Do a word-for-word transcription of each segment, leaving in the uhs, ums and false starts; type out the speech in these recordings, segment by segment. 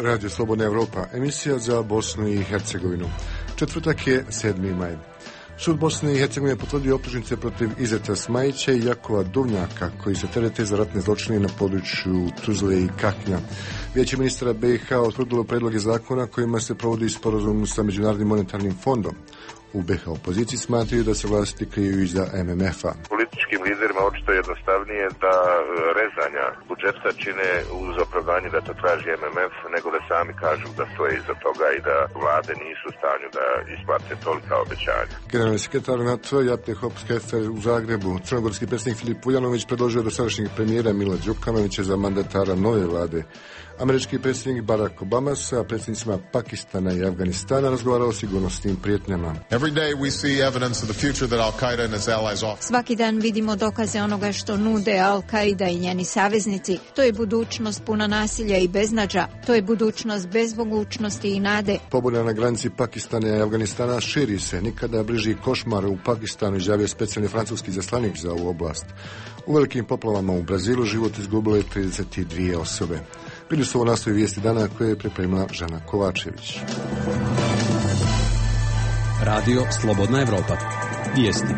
je Radio Slobodna Evropa, emisija za Bosnu i Hercegovinu. Četvrtak je sedmi maj. Sud Bosne i Hercegovine potvrdio optužnice protiv Izeta Smajića i Jakova Duvnjaka, koji se terete za ratne zločine na području Tuzle i Kaknja. Vijeće ministara B i H utvrdilo predloge zakona kojima se provodi sporazum sa Međunarodnim monetarnim fondom. U B H opoziciji smatraju da se vlasti kriju iza M M F-a. Političkim liderima očito je jednostavnije da rezanja budžeta čine uz opravdanje da to traži M M F, nego da sami kažu da stoje iza toga i da vlade nisu u stanju da isplate tolika obećanja. Generalni sekretar NATO Jate Hops-Hefer u Zagrebu, crnogorski predsjednik Filip Vujanović predložio dosadašnjeg premijera Mila Đukanovića za mandatara nove vlade. Američki predsjednik Barack Obama sa predsjednicima Pakistana i Afganistana razgovarao o sigurnosnim prijetnjama. Svaki dan vidimo dokaze onoga što nude Al-Qaida i njeni saveznici. To je budućnost puna nasilja i beznađa. To je budućnost bez mogućnosti i nade. Pobuna na granici Pakistana i Afganistana širi se. Nikada bliži košmar u Pakistanu, izjavio specijalni francuski izaslanik za ovu oblast. U velikim poplavama u Brazilu život izgubilo je trideset dvije osobe. Bili su ovo nastoji vijesti dana koje je pripremila Žana Kovačević. Radio Slobodna Evropa. Vijesti.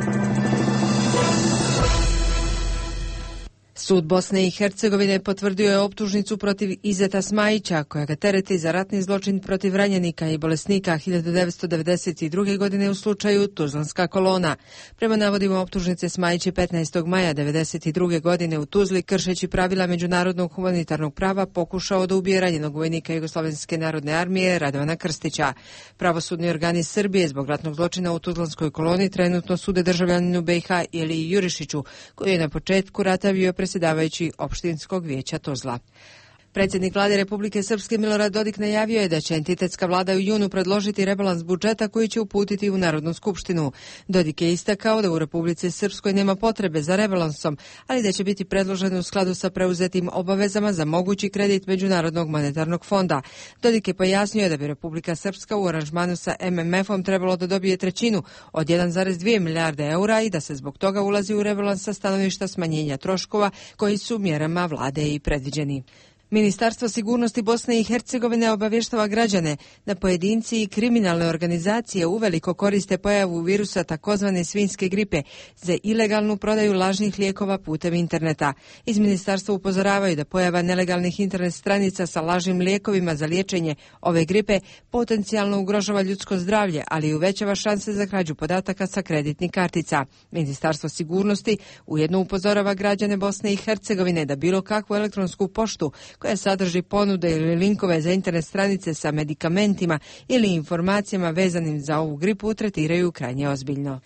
Sud Bosne i Hercegovine potvrdio je optužnicu protiv Izeta Smajića, koja ga tereti za ratni zločin protiv ranjenika i bolesnika hiljadu devetsto devedeset druge. godine u slučaju Tuzlanska kolona. Prema navodima optužnice, Smajić je petnaestog maja devedeset druge. godine u Tuzli, kršeći pravila međunarodnog humanitarnog prava, pokušao da ubije ranjenog vojnika Jugoslovenske narodne armije Radovana Krstića. Pravosudni organi Srbije zbog ratnog zločina u Tuzlanskoj koloni trenutno sude državljaninu B i H Iliji Jurišiću, koji je na početku rata bio predsjedavajući opštinskog vijeća Tuzla. Predsjednik vlade Republike Srpske Milorad Dodik najavio je da će entitetska vlada u junu predložiti rebalans budžeta koji će uputiti u Narodnu skupštinu. Dodik je istakao da u Republici Srpskoj nema potrebe za rebalansom, ali da će biti predložen u skladu sa preuzetim obavezama za mogući kredit Međunarodnog monetarnog fonda. Dodik je pojasnio da bi Republika Srpska u aranžmanu sa M M F-om trebalo da dobije trećinu od jedan zarez dvije milijarde eura i da se zbog toga ulazi u rebalans sa stanovišta smanjenja troškova koji su mjerama vlade i predviđeni. Ministarstvo sigurnosti Bosne i Hercegovine obavještava građane da pojedinci i kriminalne organizacije uveliko koriste pojavu virusa takozvane svinjske gripe za ilegalnu prodaju lažnih lijekova putem interneta. Iz ministarstva upozoravaju da pojava nelegalnih internet stranica sa lažnim lijekovima za liječenje ove gripe potencijalno ugrožava ljudsko zdravlje, ali i uvećava šanse za krađu podataka sa kreditnih kartica. Ministarstvo sigurnosti ujedno upozorava građane Bosne i Hercegovine da bilo kakvu elektronsku poštu koja sadrži ponude ili linkove za internet stranice sa medikamentima ili informacijama vezanim za ovu gripu tretiraju krajnje ozbiljno.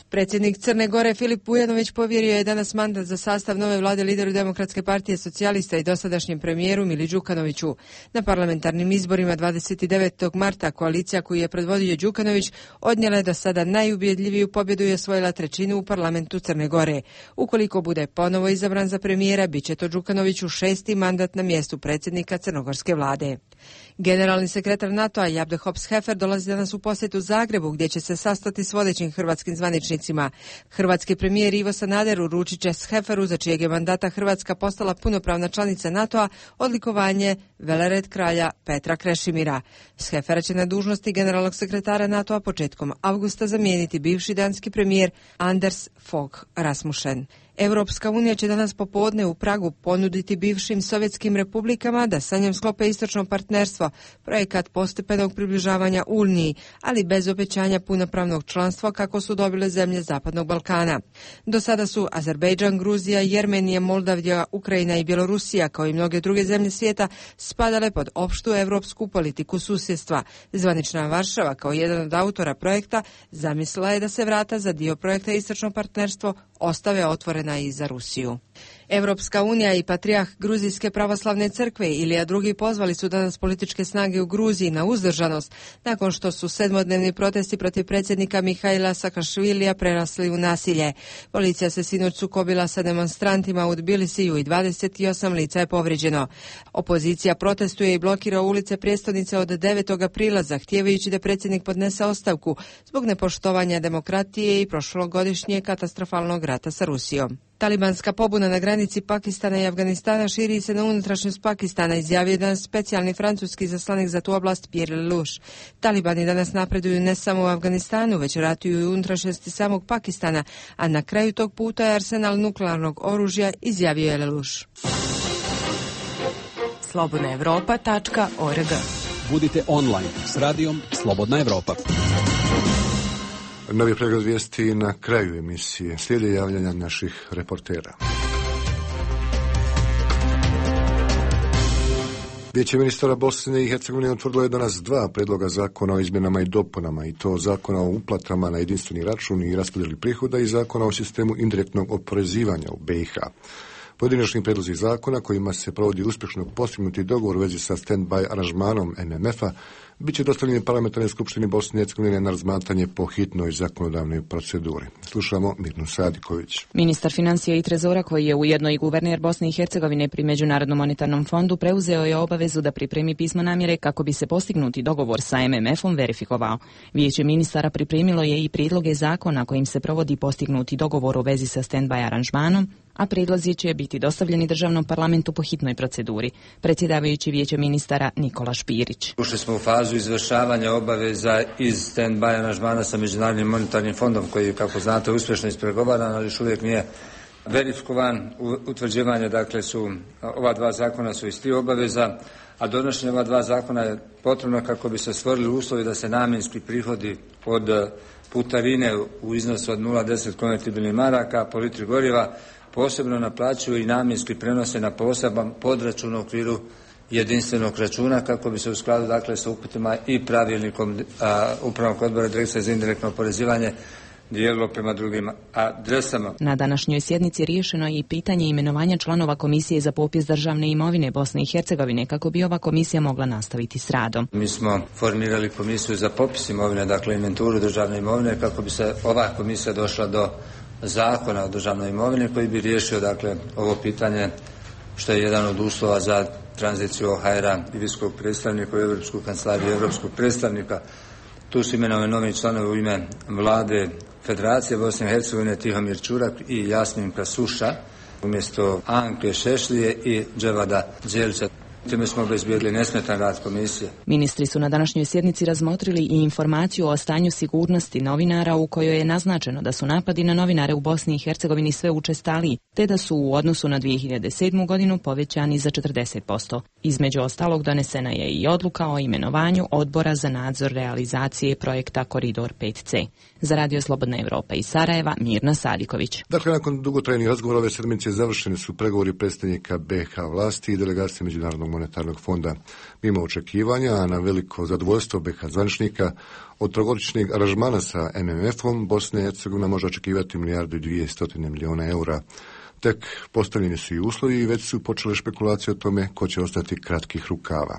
Predsjednik Crne Gore Filip Vujanović povjerio je danas mandat za sastav nove vlade lideru Demokratske partije socijalista i dosadašnjem premijeru Mili Đukanoviću. Na parlamentarnim izborima dvadeset devetog marta koalicija koju je predvodio Đukanović odnijela je do sada najubjedljiviju pobjedu i osvojila trećinu u parlamentu Crne Gore. Ukoliko bude ponovo izabran za premijera, bit će to Đukanoviću šesti mandat na mjestu predsjednika crnogorske vlade. Generalni sekretar NATO-a Jabde Hops-Hefer dolazi danas u posjetu Zagrebu, gdje će se sastati s vodećim hrvatskim zvaničnicima. Hrvatski premijer Ivo Sanader uručit će Heferu, za čijeg je mandata Hrvatska postala punopravna članica NATO-a, odlikovanje Velered kralja Petra Krešimira. Hefera će na dužnosti generalnog sekretara NATO-a početkom avgusta zamijeniti bivši danski premijer Anders Fogh Rasmussen. Europska unija će danas popodne u Pragu ponuditi bivšim sovjetskim republikama da sa njom sklope istočno partnerstvo, projekat postepenog približavanja Uniji, ali bez obećanja punopravnog članstva kako su dobile zemlje Zapadnog Balkana. Do sada su Azerbejdžan, Gruzija, Jermenija, Moldavija, Ukrajina i Bjelorusija, kao i mnoge druge zemlje svijeta, spadale pod opštu europsku politiku susjedstva. Zvanična Varšava, kao jedan od autora projekta, zamislila je da se vrata za dio projekta istočno partnerstvo ostave otvorena i za Rusiju. Europska unija i patrijarh Gruzijske pravoslavne crkve Ilija drugi pozvali su danas političke snage u Gruziji na uzdržanost nakon što su sedmodnevni protesti protiv predsjednika Mihaila Sakašvilija prerasli u nasilje. Policija se sinoć sukobila sa demonstrantima u Tbilisiju i dvadeset osam lica je povrijeđeno. Opozicija protestuje i blokira ulice prijestolnice od devetog aprila zahtijevajući da predsjednik podnese ostavku zbog nepoštovanja demokratije i prošlogodišnje katastrofalnog rata sa Rusijom. Talibanska pobuna na granici Pakistana i Afganistana širi se na unutrašnjost Pakistana, izjavio jedan specijalni francuski zaslanik za tu oblast Pierre Lelouch. Talibani danas napreduju ne samo u Afganistanu, već ratuju i u unutrašnjosti samog Pakistana, a na kraju tog puta je arsenal nuklearnog oružja, izjavio je Lelouch. slobodna evropa tačka org. Budite online s radijom Slobodna Evropa. Novi pregled vijesti na kraju emisije. Slijede javljanja naših reportera. Vijeće ministara Bosne i Hercegovine utvrdilo je danas dva predloga zakona o izmjenama i dopunama, i to zakona o uplatama na jedinstveni račun i raspodjeli prihoda i zakona o sistemu indirektnog oporezivanja u B i H. Pojedinačni predlozi zakona kojima se provodi uspješno postignuti dogovor u vezi sa stand-by aranžmanom M M F-a bit će dostavljeni parlamentarnoj skupštini Bosne i Hercegovine na razmatranje po hitnoj zakonodavnoj proceduri. Slušamo Mirnu Sadiković. Ministar financija i trezora, koji je ujedno i guverner Bosne i Hercegovine pri Međunarodnom monetarnom fondu, preuzeo je obavezu da pripremi pismo namjere kako bi se postignuti dogovor sa M M F-om verifikovao. Vijeće ministara pripremilo je i prijedloge zakona kojim se provodi postignuti dogovor u vezi sa stand-by aranžmanom, a prijedlozi će biti dostavljeni državnom parlamentu po hitnoj proceduri. Predsjedavajući Vijeće ministara Nikola Špirić. Ušli smo u fazu izvršavanja obaveza iz stand-by aranžmana sa Međunarodnim monetarnim fondom, koji, kako znate, uspješno ispregovaran, ali još uvijek nije verifikovan. Utvrđivanje, dakle, su, ova dva zakona su iz tri obaveza, a donošenje ova dva zakona je potrebno kako bi se stvorili uslovi da se namjenski prihodi od putarine u iznosu od nula zarez deset konvertibilnih maraka po litri goriva posebno naplaćuju i namjenski prenose na poseban podračun u okviru jedinstvenog računa, kako bi se u skladu, dakle, sa upitima i pravilnikom a, Upravnog odbora Direkcije za indirektno oporezivanje dijelilo prema drugim adresama. Na današnjoj sjednici riješeno je i pitanje imenovanja članova Komisije za popis državne imovine Bosne i Hercegovine, kako bi ova komisija mogla nastaviti s radom. Mi smo formirali komisiju za popis imovine, dakle inventuru državne imovine, kako bi se ova komisija došla do zakona o državnoj imovini koji bi riješio, dakle, ovo pitanje, što je jedan od uslova za tranziciju O H R-a i visokog predstavnika u Europsku kancelariju i Europskog predstavnika. Tu su imenovani novi članovi u ime Vlade Federacije Bosne i Hercegovine Tihomir Čurak i Jasmin Kasuša umjesto Anke Šešlije i Dževada Đelića. Time smo obezbijedili nesmetan rad komisije. Ministri su na današnjoj sjednici razmotrili i informaciju o stanju sigurnosti novinara, u kojoj je naznačeno da su napadi na novinare u Bosni i Hercegovini sve učestaliji, te da su u odnosu na dvije hiljade sedmu. godinu povećani za četrdeset posto. Između ostalog donesena je i odluka o imenovanju odbora za nadzor realizacije projekta Koridor pet C. Za Radio Slobodna Evropa iz Sarajeva, Mirna Sadiković. Dakle, nakon dugotrajnih razgovora ove sedmice završeni su pregovori predstavnika B i H vlasti i delegacije Međunarodnog monetarnog fonda. Mimo očekivanja, a na veliko zadovoljstvo B i H zvaničnika, od trogodišnjeg aranžmana sa M M F-om Bosna i Hercegovina može očekivati milijardu i dvjesto milijuna eura. Tek postavljeni su i uslovi i već su počele špekulacije o tome ko će ostati kratkih rukava.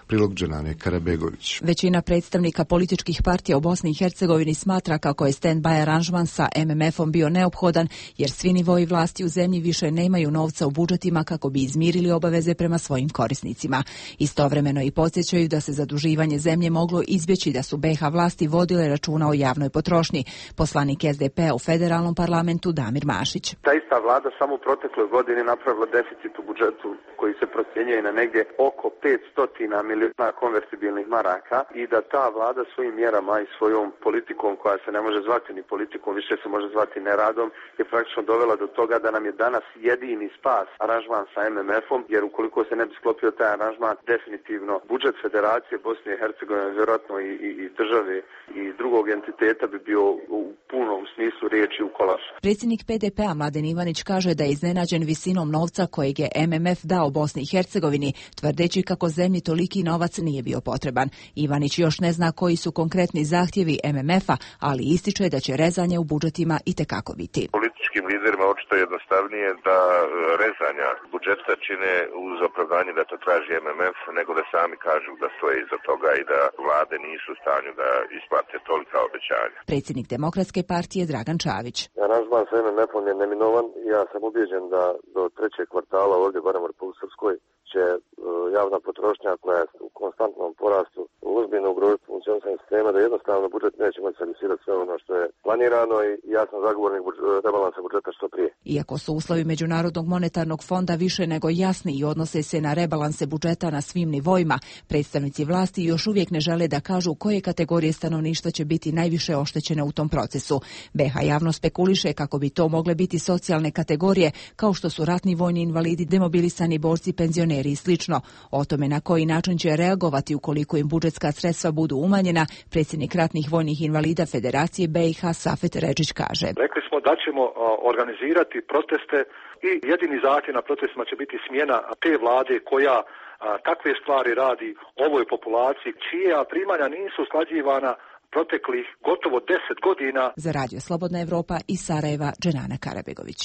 Prilog Dženane Karabegović. Većina predstavnika političkih partija u Bosni i Hercegovini smatra kako je stand-by aranžman sa M M F-om bio neophodan, jer svi nivoji vlasti u zemlji više nemaju novca u budžetima kako bi izmirili obaveze prema svojim korisnicima. Istovremeno i podsjećaju da se zaduživanje zemlje moglo izbjeći da su B i H vlasti vodile računa o javnoj potrošnji. Poslanik S D P-a u federalnom parlamentu Damir Mašić. Ta ista vlada samo u protekloj godini napravila deficit u budžetu koji se procjenjuje na negdje oko petsto milijuna konvertibilnih maraka i da ta vlada svojim mjerama i svojom politikom, koja se ne može zvati ni politikom, više se može zvati neradom, je praktično dovela do toga da nam je danas jedini spas aranžman sa M M F-om, jer ukoliko se ne bi sklopio taj aranžman, definitivno budžet Federacije Bosne i Hercegovine, vjerojatno i, i, i države i drugog entiteta bi bio u punom smislu riječi u kolašu. Predsjednik P D P-a Mladen Ivanić kaže da je iznenađen visinom novca kojeg je M M F dao Bosni i Hercegovini, tvrdeći kako zemlji toliki novac nije bio potreban. Ivanić još ne zna koji su konkretni zahtjevi M M F-a, ali ističe da će rezanje u budžetima itekako biti. Političkim liderima očito jednostavnije da rezanja budžeta čine uz opravdanje da to traži M M F, nego da sami kažu da stoje iza toga i da vlade nisu u stanju da isplate tolika obećanja. Predsjednik Demokratske partije Dragan Čavić. Aranžman sa M M F-om je neminovan. Ja sam ubijeđen da do trećeg kvartala ovdje, barem u Republike Srpskoj, će javna potrošnja koja je u konstantnom porastu ozbiljno ugroziti funkcionisanje sistema, da jednostavno budžet neće moći servisirati sve ono što je planirano i ja sam zagovornik rebalansa budžeta što prije. Iako su uslovi Međunarodnog monetarnog fonda više nego jasni i odnose se na rebalanse budžeta na svim nivoima, predstavnici vlasti još uvijek ne žele da kažu koje kategorije stanovništva će biti najviše oštećene u tom procesu. be ha javno spekuliše kako bi to mogle biti socijalne kategorije kao što su ratni vojni invalidi, demobilisani borci, penzioneri i slično. O tome na koji način će reagovati ukoliko im budžetska sredstva budu umanjena, predsjednik ratnih vojnih invalida Federacije be i ha Safet Redžić kaže. Rekli smo da ćemo organizirati proteste i jedini zahtjev na protestima će biti smjena te vlade koja a, takve stvari radi ovoj populaciji čija primanja nisu usklađivana proteklih gotovo deset godina. Za Radio Slobodna Evropa iz Sarajeva, Dženana Karabegović.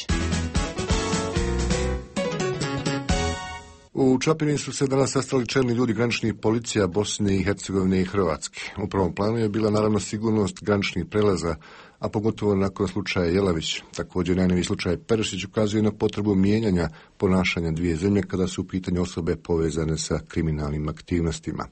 U Čapini su se danas sastali čelni ljudi graničnih policija Bosne i Hercegovine i Hrvatske. U prvom planu je bila naravno sigurnost graničnih prelaza, a pogotovo nakon slučaja Jelavić. Također najnoviji slučaj Perišić ukazuje na potrebu mijenjanja ponašanja dvije zemlje kada su u pitanju osobe povezane sa kriminalnim aktivnostima.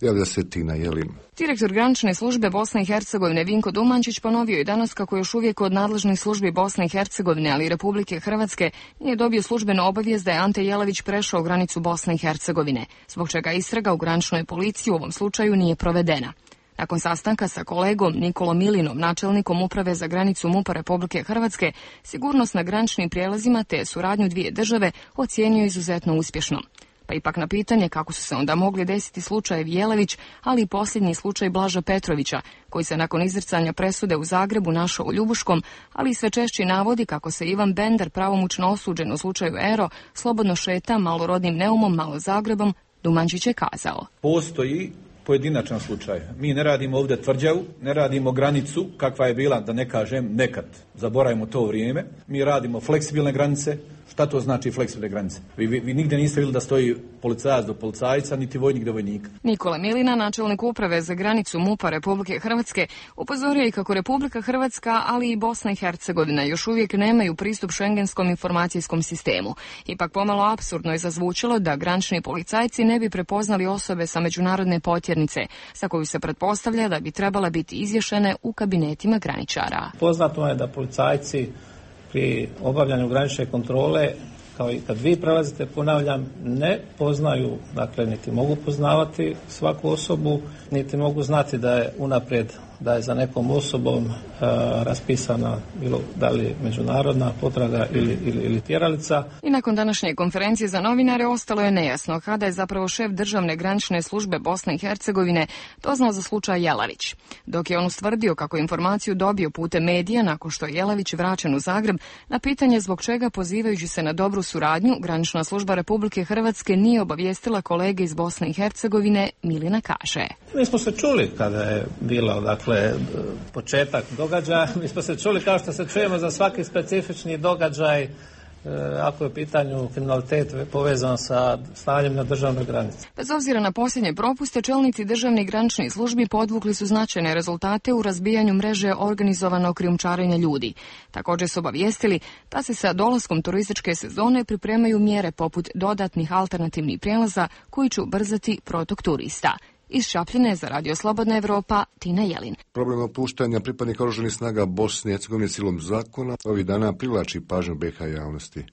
Javlja se Tina Jelin. Direktor granične službe Bosne i Hercegovine Vinko Dumančić ponovio je danas kako još uvijek od nadležnih službi Bosne i Hercegovine, ali i Republike Hrvatske, nije dobio službenu obavijest da je Ante Jelavić prešao granicu Bosne i Hercegovine, zbog čega istraga u graničnoj policiji u ovom slučaju nije provedena. Nakon sastanka sa kolegom Nikolom Milinom, načelnikom uprave za granicu MUP-a Republike Hrvatske, sigurnost na graničnim prijelazima te suradnju dvije države ocijenio izuzetno uspješnom. Pa ipak na pitanje kako su se onda mogli desiti slučajevi Jelavić, ali i posljednji slučaj Blaža Petrovića, koji se nakon izricanja presude u Zagrebu našao u Ljubuškom, ali i sve češće navodi kako se Ivan Bender, pravomoćno osuđen u slučaju Ero, slobodno šeta malorodnim Neumom, malo Zagrebom, Dumančić je kazao. Postoji pojedinačan slučaj. Mi ne radimo ovdje tvrđavu, ne radimo granicu kakva je bila, da ne kažem nekad, zaboravimo to vrijeme. Mi radimo fleksibilne granice. Šta to znači fleksibilne granice? Vi, vi, vi nigdje niste vidjeli da stoji policajac do policajca, niti vojnik do vojnika. Nikola Milina, načelnik uprave za granicu MUP-a Republike Hrvatske, upozorio je kako Republika Hrvatska, ali i Bosna i Hercegovina još uvijek nemaju pristup šengenskom informacijskom sistemu. Ipak pomalo apsurdno je zazvučilo da granični policajci ne bi prepoznali osobe sa međunarodne potjernice, sa koju se pretpostavlja da bi trebala biti izvješene u kabinetima graničara. Poznato je da policajci pri obavljanju granične kontrole, kao i kad vi prelazite, ponavljam, ne poznaju, dakle, niti mogu poznavati svaku osobu, niti mogu znati da je unaprijed, da je za nekom osobom uh, raspisana bilo da li međunarodna potraga ili, ili, ili tjeralica. I nakon današnje konferencije za novinare ostalo je nejasno kada je zapravo šef državne granične službe Bosne i Hercegovine doznao za slučaj Jelavić. Dok je on ustvrdio kako informaciju dobio putem medija nakon što je Jelavić vraćen u Zagreb, na pitanje zbog čega pozivajući se na dobru suradnju, granična služba Republike Hrvatske nije obavijestila kolege iz Bosne i Hercegovine, Milina kaže. Mi smo se čuli kada je bilo, dakle, početak događaja. Mi smo se čuli kao što se čujemo za svaki specifični događaj, ako je u pitanju kriminalitet povezan sa stanjem na državnoj granici. Bez obzira na posljednje propuste, čelnici državnih graničnih službi podvukli su značajne rezultate u razbijanju mreže organizovanog krijumčarenja ljudi. Također su obavijestili da se sa dolaskom turističke sezone pripremaju mjere poput dodatnih alternativnih prijelaza koji će ubrzati protok turista. Iz Šapljine za Radio Slobodna Evropa, Tina Jelin. Problem opuštanja pripadnika oružanih snaga Bosne i Hercegovine silom zakona ovih dana privlači pažnju be ha javnosti.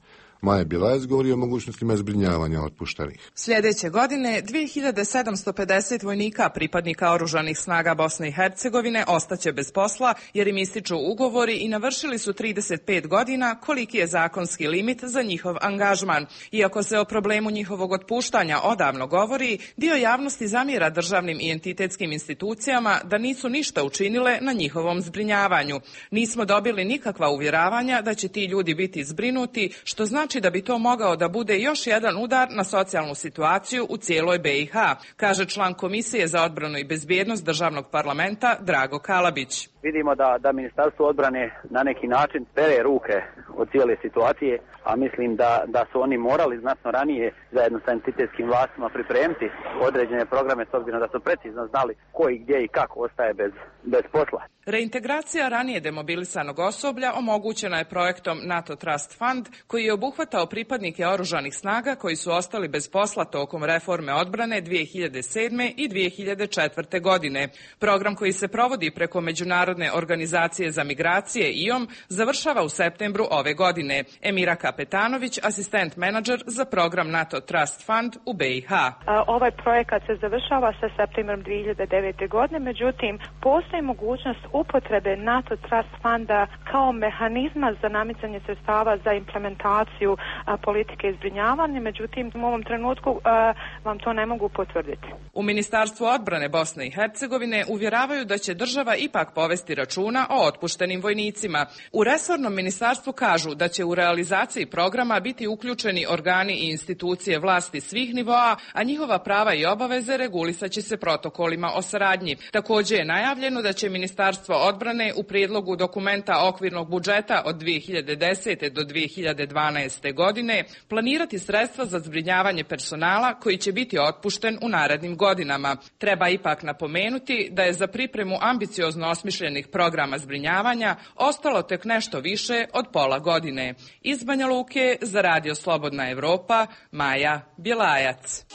Maja Bjelajec govori o mogućnostima zbrinjavanja otpuštenih. Sljedeće godine dvije hiljade sedamsto pedeset vojnika pripadnika oružanih snaga Bosne i Hercegovine ostaće bez posla jer im ističu ugovori i navršili su trideset pet godina, koliki je zakonski limit za njihov angažman. Iako se o problemu njihovog otpuštanja odavno govori, dio javnosti zamjera državnim i entitetskim institucijama da nisu ništa učinile na njihovom zbrinjavanju. Nismo dobili nikakva uvjeravanja da će ti ljudi biti zbrinuti, što znači da bi to mogao da bude još jedan udar na socijalnu situaciju u cijeloj be i ha, kaže član Komisije za odbranu i bezbjednost državnog parlamenta Drago Kalabić. Vidimo da, da Ministarstvo odbrane na neki način pere ruke od cijele situacije, a mislim da, da su oni morali znatno ranije zajedno sa entitetskim vlastima pripremiti određene programe s obzirom da su precizno znali ko i gdje i kako ostaje bez, bez posla. Reintegracija ranije demobilisanog osoblja omogućena je projektom NATO Trust Fund, koji je obuhvatao pripadnike oružanih snaga koji su ostali bez posla tokom reforme odbrane dvije hiljade sedme i dvije hiljade četvrte. godine. Program koji se provodi preko Međunarodne organizacije za migracije I O M završava u septembru ove godine. Emira Kapetanović, asistent menadžer za program NATO Trust Fund u B I H. Ovaj projekat se završava sa septembrom dvije hiljade devete. godine, međutim, postoji mogućnost upotrebe NATO Trust Funda kao mehanizma za namicanje sredstava za implementaciju a, politike zbrinjavanja, međutim, u ovom trenutku a, vam to ne mogu potvrditi. U Ministarstvu odbrane Bosne i Hercegovine uvjeravaju da će država ipak povesti računa o otpuštenim vojnicima. U resornom ministarstvu kažu da će u realizaciji programa biti uključeni organi i institucije vlasti svih nivoa, a njihova prava i obaveze regulisaće se protokolima o saradnji. Također je najavljeno da će Ministarstvo odbrane u prijedlogu dokumenta okvirnog budžeta od dvije hiljade desete. do dvije hiljade dvanaeste. godine planirati sredstva za zbrinjavanje personala koji će biti otpušten u narednim godinama. Treba ipak napomenuti da je za pripremu ambiciozno osmišljenih programa zbrinjavanja ostalo tek nešto više od pola godine. Iz Banja Luke za Radio Slobodna Evropa, Maja Bjelajac.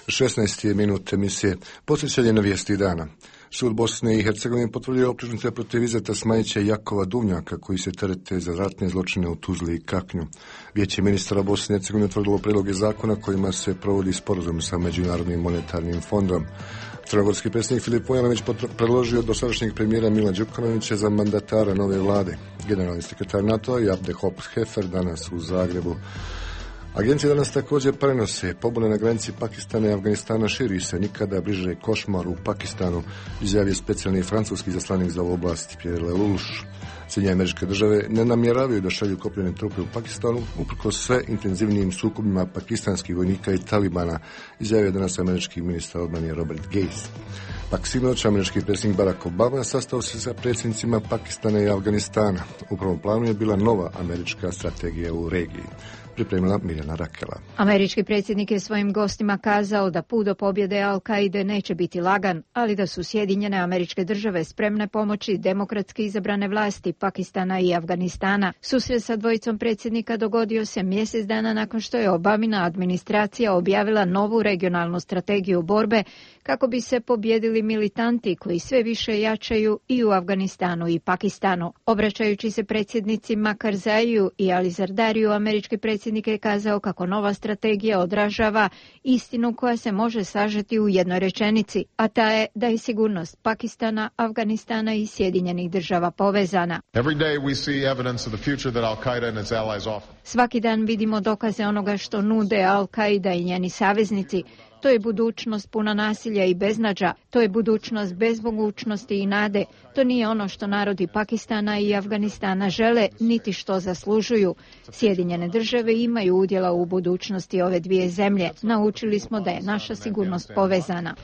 šesnaest minut emisije Posjećanje na vijesti dana. Sud Bosne i Hercegovine potvrdio optužnice protiv Izeta Smajića i Jakova Duvnjaka, koji se terete za ratne zločine u Tuzli i Kaknju. Vijeće ministara Bosne i Hercegovine utvrdilo prijedloge zakona kojima se provodi sporazum sa Međunarodnim monetarnim fondom. Crnogorski predsjednik Filip Vujanović predložio dosadašnjeg premijera Mila Đukanovića za mandatara nove vlade. Generalni sekretar NATO i Abde Hop Hefer danas u Zagrebu. Agencije danas također prenose pobune na granici Pakistana i Afganistana, širi se nikada bliže košmar u Pakistanu, izjavio specijalni francuski izaslanik za ovu oblast Pierre Lelouch. Sjedinjene Američke Države ne namjeravaju da šalju kopnene trupe u Pakistanu, uprkos sve intenzivnijim sukobima pakistanskih vojnika i Talibana, izjavio danas američki ministar odbrane Robert Gates. Pak sinoć američki predsjednik Barack Obama sastao se sa predsjednicima Pakistana i Afganistana. U prvom planu je bila nova američka strategija u regiji. Pripremila Mirjana Rakela. Američki predsjednik je svojim gostima kazao da put do pobjede Al-Kaide neće biti lagan, ali da su Sjedinjene Američke Države spremne pomoći demokratski izabrane vlasti Pakistana i Afganistana. Susret sa dvojicom predsjednika dogodio se mjesec dana nakon što je Obamina administracija objavila novu regionalnu strategiju borbe kako bi se pobjedili militanti koji sve više jačaju i u Afganistanu i Pakistanu. Obraćajući se predsjednicima Karzaiju i Ali Zardariju, američki predsjednik je kazao kako nova strategija odražava istinu koja se može sažeti u jednoj rečenici, a ta je da je sigurnost Pakistana, Afganistana i Sjedinjenih Država povezana. Svaki dan vidimo dokaze onoga što nude Al-Kaida i njeni saveznici. To je budućnost puna nasilja i beznađa, to je budućnost bez mogućnosti i nade. To nije ono što narodi Pakistana i Afganistana žele, niti što zaslužuju. Sjedinjene Države imaju udjela u budućnosti ove dvije zemlje. Naučili smo da je naša sigurnost povezana.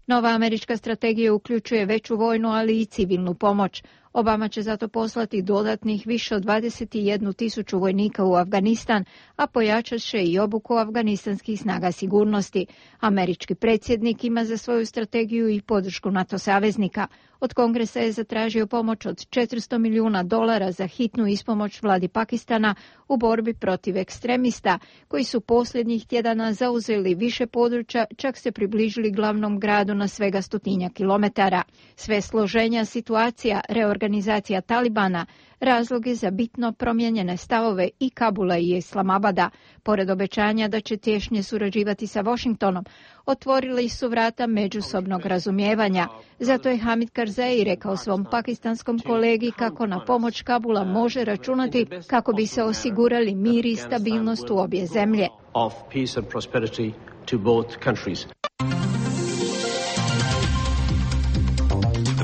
Nova američka strategija uključuje veću vojnu, ali i civilnu pomoć. Obama će zato poslati dodatnih više od dvadeset jednu tisuću vojnika u Afganistan, a pojačat će i obuku afganistanskih snaga sigurnosti. Američki predsjednik ima za svoju strategiju i podršku NATO saveznika. Od Kongresa je zatražio pomoć od četiristo milijuna dolara za hitnu ispomoć vladi Pakistana u borbi protiv ekstremista, koji su posljednjih tjedana zauzeli više područja, čak se približili glavnom gradu na svega stotinja kilometara. Sve složenja situacija, reorganizacija Talibana, razloge za bitno promijenjene stavove i Kabula i Islamabada, pored obećanja da će tješnje surađivati sa Washingtonom, otvorili su vrata međusobnog razumijevanja. Zato je Hamid Karzai rekao svom pakistanskom kolegi kako na pomoć Kabula može računati kako bi se osigurali mir i stabilnost u obje zemlje.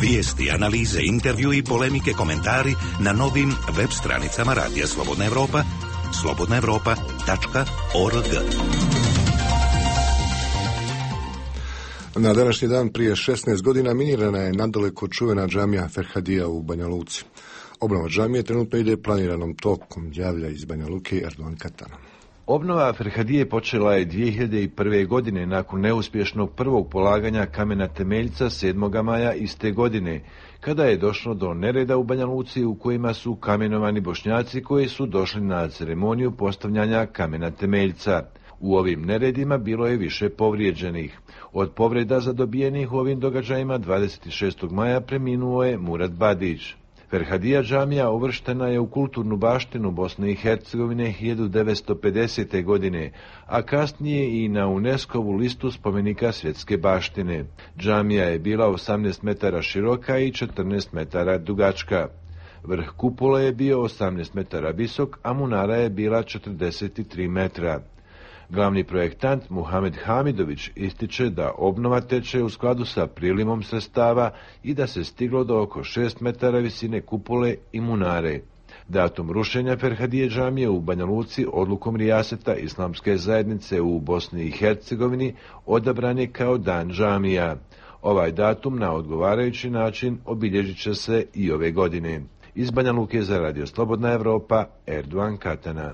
Vijesti, analize, intervju i polemike, komentari na novim web stranicama Radija Slobodna Evropa, slobodna evropa tačka org. Na današnji dan prije šesnaest godina minirana je nadaleko čuvena džamija Ferhadija u Banja Luci. Obnova džamije trenutno ide planiranom tokom, javlja iz Banja Luke Erdogan Katana. Obnova Ferhadije počela je dvije hiljade prve. godine nakon neuspješnog prvog polaganja kamena temeljca sedmog maja iste godine, kada je došlo do nereda u Banja Luci u kojima su kamenovani Bošnjaci koji su došli na ceremoniju postavljanja kamena temeljca. U ovim neredima bilo je više povrijeđenih. Od povreda zadobijenih u ovim događajima dvadeset šestog maja preminuo je Murad Badić. Ferhadija džamija uvrštena je u kulturnu baštinu Bosne i Hercegovine hiljadu devetsto pedesete. godine, a kasnije i na UNESCO-vu listu spomenika svjetske baštine. Džamija je bila osamnaest metara široka i četrnaest metara dugačka. Vrh kupole je bio osamnaest metara visok, a munara je bila četrdeset tri metra. Glavni projektant Muhamed Hamidović ističe da obnova teče u skladu sa prilimom sredstava i da se stiglo do oko šest metara visine kupole i munare. Datum rušenja Ferhadije džamije u Banja Luci odlukom rijaseta Islamske zajednice u Bosni i Hercegovini odabran je kao dan džamija. Ovaj datum na odgovarajući način obilježit će se i ove godine. Iz Banja Luke za Radio Slobodna Evropa, Erdogan Katana.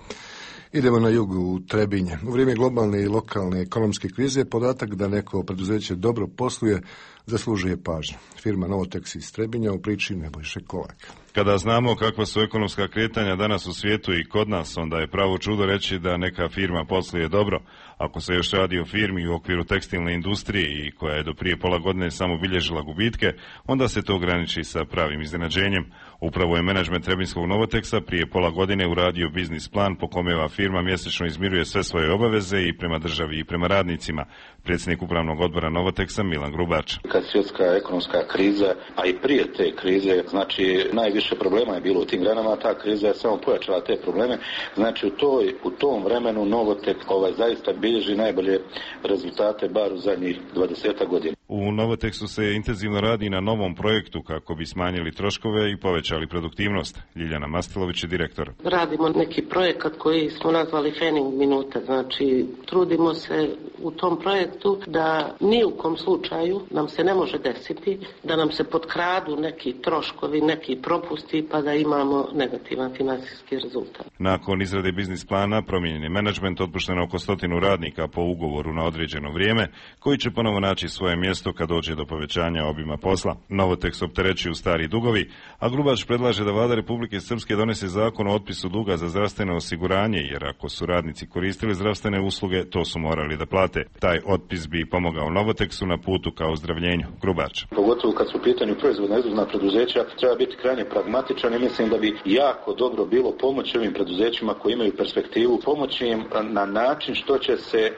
Idemo na jugu u Trebinje. U vrijeme globalne i lokalne ekonomske krize podatak da neko preduzeće dobro posluje zaslužuje pažnju. Firma Novotex iz Trebinja u priči Nebojše Kolak. Kada znamo kakva su ekonomska kretanja danas u svijetu i kod nas, onda je pravo čudo reći da neka firma posluje dobro. Ako se još radi o firmi u okviru tekstilne industrije i koja je do prije pola godine samo bilježila gubitke, onda se to ograniči sa pravim iznenađenjem. Upravo je menadžment Trebinskog Novoteksa prije pola godine uradio biznis plan po kome ova firma mjesečno izmiruje sve svoje obaveze i prema državi i prema radnicima. Predsjednik upravnog odbora Novoteksa Milan Grubač. Kad svjetska ekonomska kriza, a i prije te krize, znači najviše problema je bilo u tim granama, ta kriza je samo pojačala te probleme. Znači u, toj, u tom vremenu Novotek ovaj, zaista bilježi najbolje rezultate bar u zadnjih dvadeset godina. U Novoteksu se intenzivno radi na novom projektu kako bi smanjili troškove i povećali produktivnost. Ljiljana Mastilović je direktor. Radimo neki projekat koji smo nazvali Fening minuta. Znači trudimo se u tom projektu da ni u kom slučaju nam se ne može desiti da nam se potkradu neki troškovi, neki propusti pa da imamo negativan financijski rezultat. Nakon izrade biznis plana promijenjen je menadžment, otpušteno oko stotinu radnika po ugovoru na određeno vrijeme koji će ponovo naći svoje mjesto kad dođe do povećanja obima posla. Novotekс opterećuju stari dugovi, a Grubač predlaže da vlada Republike Srpske donese zakon o otpisu duga za zdravstveno osiguranje, jer ako su radnici koristili zdravstvene usluge, to su morali da plate. Taj otpis bi pomogao Novoteksu na putu ka ozdravljenju. Grubač. Pogotovo kad su u pitanju proizvodna izvozna preduzeća, treba biti krajnje pragmatičan i mislim da bi jako dobro bilo pomoći ovim preduzećima koji imaju perspektivu, pomoći im na način što će se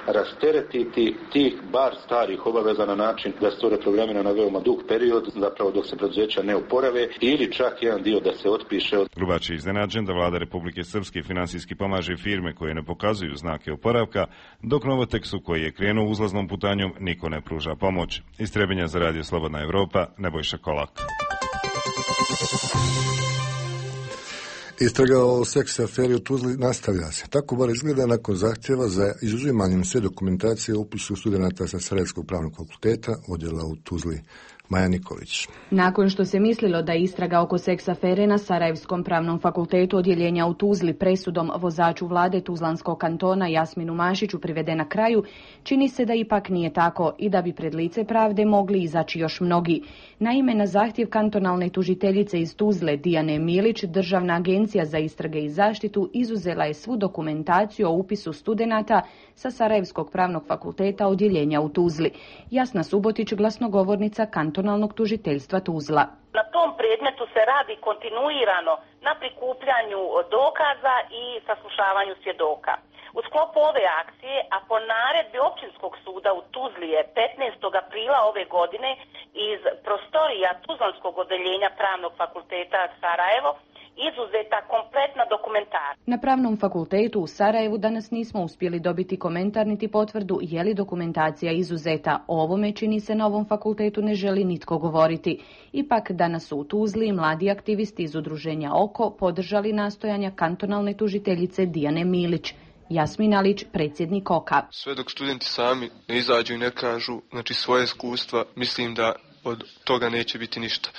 rasteretiti tih bar starih obaveza na način da stvore programe na veoma dug period, zapravo dok se preduzeća ne oporave, ili čak jedan dio da se otpiše. Grubač je iznenađen da vlada Republike Srpske finansijski pomaže firme koje ne pokazuju znake oporavka, dok Novoteksu koji je krenuo uzlaznom putanjom niko ne pruža pomoć. Iz Trebinja za Radio Slobodna Evropa, Nebojša Kolak. Istraga o seks aferi u Tuzli nastavlja se. Tako bar izgleda nakon zahtjeva za izuzimanjem sve dokumentacije o upisu studenata sa Sarajevskog pravnog fakulteta, odjela u Tuzli. Maja Nikolić. Nakon što se mislilo da je istraga oko seks afere na Sarajevskom pravnom fakultetu odjeljenja u Tuzli presudom vozaču vlade Tuzlanskog kantona Jasminu Mašiću privedena kraju, čini se da ipak nije tako i da bi pred lice pravde mogli izaći još mnogi. Naime, na zahtjev kantonalne tužiteljice iz Tuzle Dijane Milić, Državna agencija za istrage i zaštitu izuzela je svu dokumentaciju o upisu studenata sa Sarajevskog pravnog fakulteta odjeljenja u Tuzli. Jasna Subotić, glasnogovornica kantonalnog tužiteljstva Tuzla. Na tom predmetu se radi kontinuirano na prikupljanju dokaza i saslušavanju svjedoka. U sklopu ove akcije, a po naredbi Općinskog suda u Tuzli je petnaestog aprila ove godine iz prostorija Tuzlanskog odeljenja Pravnog fakulteta Sarajevo izuzeta kompletna dokumentacija. Na Pravnom fakultetu u Sarajevu danas nismo uspjeli dobiti komentar niti potvrdu je li dokumentacija izuzeta. O ovome, čini se, na ovom fakultetu ne želi nitko govoriti. Ipak danas su u Tuzli mladi aktivisti iz udruženja Oko podržali nastojanja kantonalne tužiteljice Dijane Milić. Jasmin Alić, predsjednik Oka. Sve dok studenti sami ne izađu i ne kažu, znači, svoje iskustva, mislim da od toga neće biti ništa.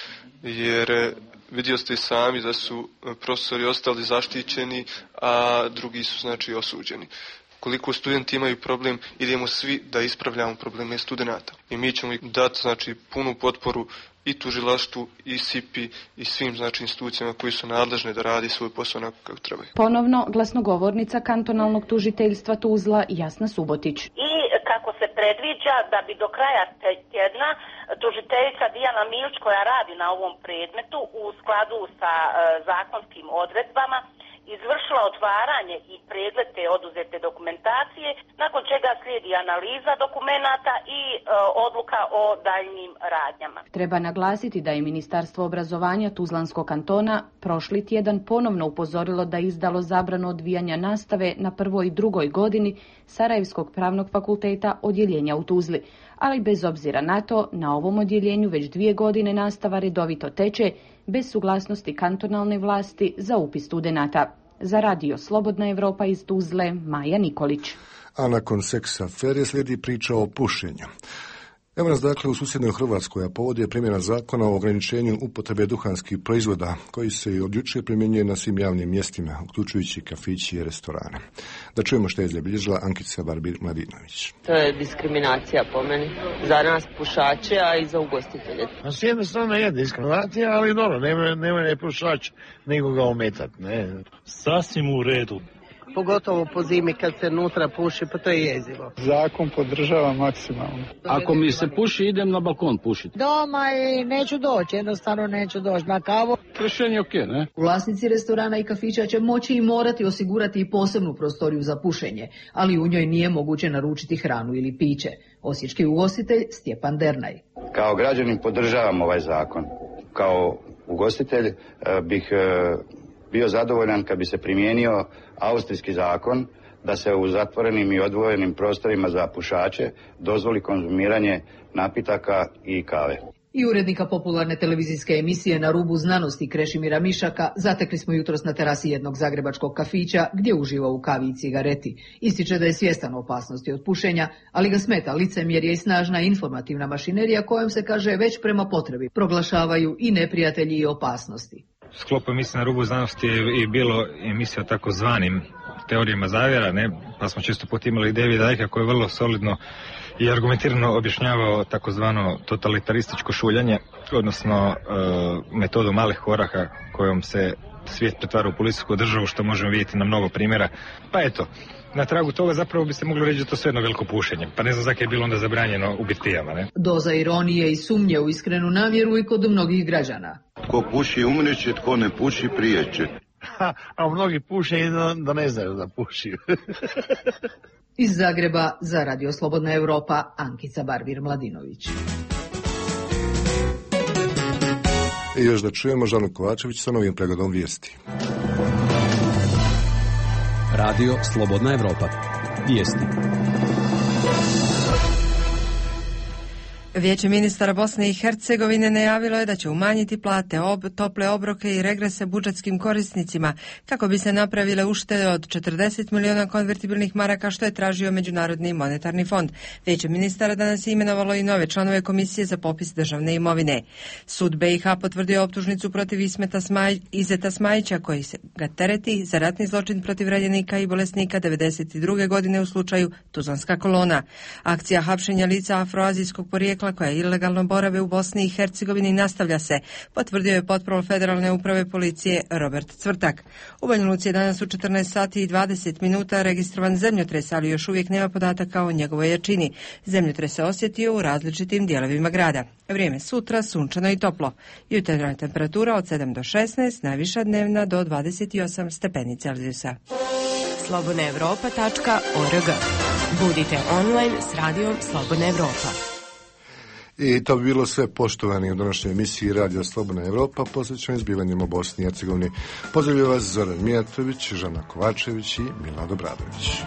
Jer vidio ste i sami da su profesori ostali zaštićeni, a drugi su, znači, osuđeni. Koliko studenti imaju problem, idemo svi da ispravljamo probleme studenata. I mi ćemo dati, znači, punu potporu i tužilaštvu, i S I P I, i svim, znači, institucijama koji su nadležne da radi svoj posao onako kako trebaju. Ponovno glasnogovornica kantonalnog tužiteljstva Tuzla Jasna Subotić. I kako se predviđa da bi do kraja tjedna tužiteljica Dijana Milić, koja radi na ovom predmetu u skladu sa e, zakonskim odredbama, izvršila otvaranje i pregled te oduzete dokumentacije, nakon čega slijedi analiza dokumenata i e, odluka o daljnjim radnjama. Treba naglasiti da je Ministarstvo obrazovanja Tuzlanskog kantona prošli tjedan ponovno upozorilo da je izdalo zabranu odvijanja nastave na prvoj i drugoj godini Sarajevskog pravnog fakulteta odjeljenja u Tuzli. Ali bez obzira na to, na ovom odjeljenju već dvije godine nastava redovito teče, bez suglasnosti kantonalne vlasti za upis studenata. Za radio Slobodna Evropa iz Tuzle, Maja Nikolić. A nakon seks afere slijedi priča o pušenju. Evo nas dakle u susjednoj Hrvatskoj, a povod je primjena zakona o ograničenju upotrebe duhanskih proizvoda, koji se od jučer primjenjuje na svim javnim mjestima, uključujući kafići i restorane. Da čujemo što je zabilježila Ankica Barbir-Mladinović. To je diskriminacija po meni, za nas pušače, a i za ugostitelje. A s jedne strane je diskriminacija, ali dobro, nema, nema ne pušač, nego ga ometati, ne. Sasvim u redu. Pogotovo po zimi kad se nutra puši, pa to je jezivo. Zakon podržava maksimalno. Ako mi se puši, idem na balkon pušiti. Doma i neću doći, jednostavno neću doći na kavu. Rješenje ok, ne? Vlasnici restorana i kafića će moći i morati osigurati i posebnu prostoriju za pušenje, ali u njoj nije moguće naručiti hranu ili piće. Osječki ugostitelj Stjepan Dernaj. Kao građanin podržavam ovaj zakon. Kao ugostitelj bih bio zadovoljan kad bi se primijenio austrijski zakon da se u zatvorenim i odvojenim prostorima za pušače dozvoli konzumiranje napitaka i kave. I urednika popularne televizijske emisije Na rubu znanosti Krešimira Mišaka zatekli smo jutros na terasi jednog zagrebačkog kafića gdje uživa u kavi i cigareti. Ističe da je svjestan opasnosti od pušenja, ali ga smeta licemjerje i snažna informativna mašinerija kojom se, kaže, već prema potrebi proglašavaju i neprijatelji i opasnosti. U sklopu emisije Na rubu znanosti je i bilo emisija o takozvanim teorijama zavjera, ne? Pa smo često put imali Davida Icke koji je vrlo solidno i argumentirano objašnjavao takozvano totalitarističko šuljanje, odnosno e, metodu malih koraka kojom se svijet pretvara u policijsku državu, što možemo vidjeti na mnogo primjera. Pa eto, na tragu toga zapravo bi se moglo reći da to sve jedno veliko pušenje. Pa ne znam zakaj je bilo onda zabranjeno u birtijama, ne? Doza ironije i sumnje u iskrenu namjeru i kod mnogih građana. Tko puši umreće, tko ne puši prijeće. Ha, a mnogi puše i da, da ne znaju da puši. Iz Zagreba za Radio Slobodna Evropa, Ankica Barbir-Mladinović. I još da čujemo Žanu Kovačević sa novim pregledom vijesti. Radio Slobodna Evropa. Vijesti. Vijeće ministara Bosne i Hercegovine najavilo je da će umanjiti plate, ob, tople obroke i regrese budžetskim korisnicima kako bi se napravile uštede od četrdeset miliona konvertibilnih maraka što je tražio Međunarodni monetarni fond. Vijeće ministara danas je imenovalo i nove članove komisije za popis državne imovine. Sud B i H potvrdio optužnicu protiv Ismeta Smaj, Izeta Smajića koji se ga tereti za ratni zločin protiv ranjenika i bolesnika devedeset druge godine u slučaju Tuzlanska kolona. Akcija hapšenja lica afroazijskog porijekla koja ilegalno borave u Bosni i Hercegovini nastavlja se, potvrdio je potprol Federalne uprave policije Robert Cvrtak. U Banja Luci je danas u četrnaest sati i dvadeset minuta registrovan zemljotres, ali još uvijek nema podataka o njegovoj jačini. Zemljotres se osjetio u različitim dijelovima grada. Vrijeme sutra sunčano i toplo. Jutarnja temperatura od sedam do šesnaest, najviša dnevna do dvadeset osam stepeni Celzijusa. slobodna evropa tačka org. Budite online s radijom Slobodna Evropa. I to bi bilo sve, poštovani, u današnjoj emisiji Radio Slobodna Evropa posvećenoj zbivanjima u Bosni i Hercegovini. Pozdravljaju vas Zoran Mijatović, Žana Kovačević i Milad Obradović.